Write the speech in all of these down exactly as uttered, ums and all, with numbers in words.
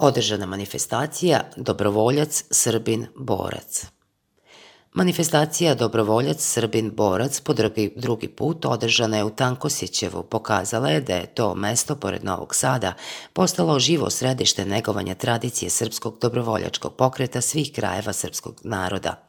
Održana manifestacija Dobrovoljac Srbin borac. Manifestacija Dobrovoljac Srbin borac po drugi, drugi put održana je u Tankosjećevu. Pokazala je da je to mesto pored Novog Sada postalo živo središte negovanja tradicije srpskog dobrovoljačkog pokreta svih krajeva srpskog naroda.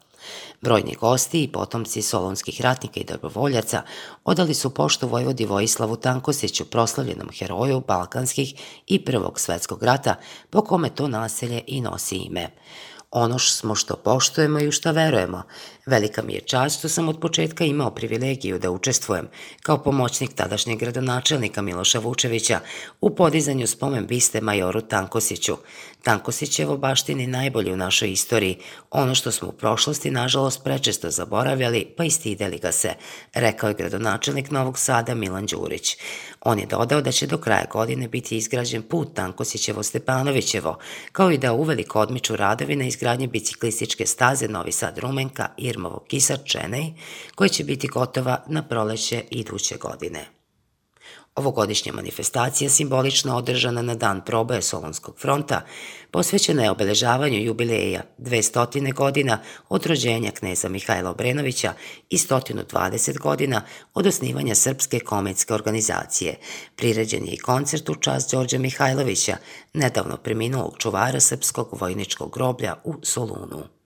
Brojni gosti i potomci solunskih ratnika i dobrovoljaca odali su poštu vojvodi Vojislavu Tankosjeću, proslavljenom heroju Balkanskih i Prvog svetskog rata, po kome to naselje i nosi ime. Ono smo što poštujemo i u šta verujemo. Velika mi je čast što sam od početka imao privilegiju da učestvujem kao pomoćnik tadašnjeg gradonačelnika Miloša Vučevića u podizanju spomen biste majoru Tankosjeću. Tankosjećevo baštini najbolje u našoj istoriji, ono što smo u prošlosti nažalost prečesto zaboravljali pa i stideli ga se, rekao je gradonačelnik Novog Sada Milan Đurić. On je dodao da će do kraja godine biti izgrađen put Tankosjećevo-Stepanovićevo, kao i da uveliko odmiču radovi na izgradnji biciklističke staze Novi Sad-Rumenka, Irmovo-Kisar-Čenej, koja će biti gotova na proleće iduće godine. Ovogodišnja manifestacija, simbolično održana na dan proboja Solunskog fronta, posvećena je obeležavanju jubileja dvestotine godina od rođenja kneza Mihajla Obrenovića i sto dvadeset godina od osnivanja Srpske kometske organizacije. Priređen je i koncert u čast Đorđa Mihajlovića, nedavno preminulog čuvara Srpskog vojničkog groblja u Solunu.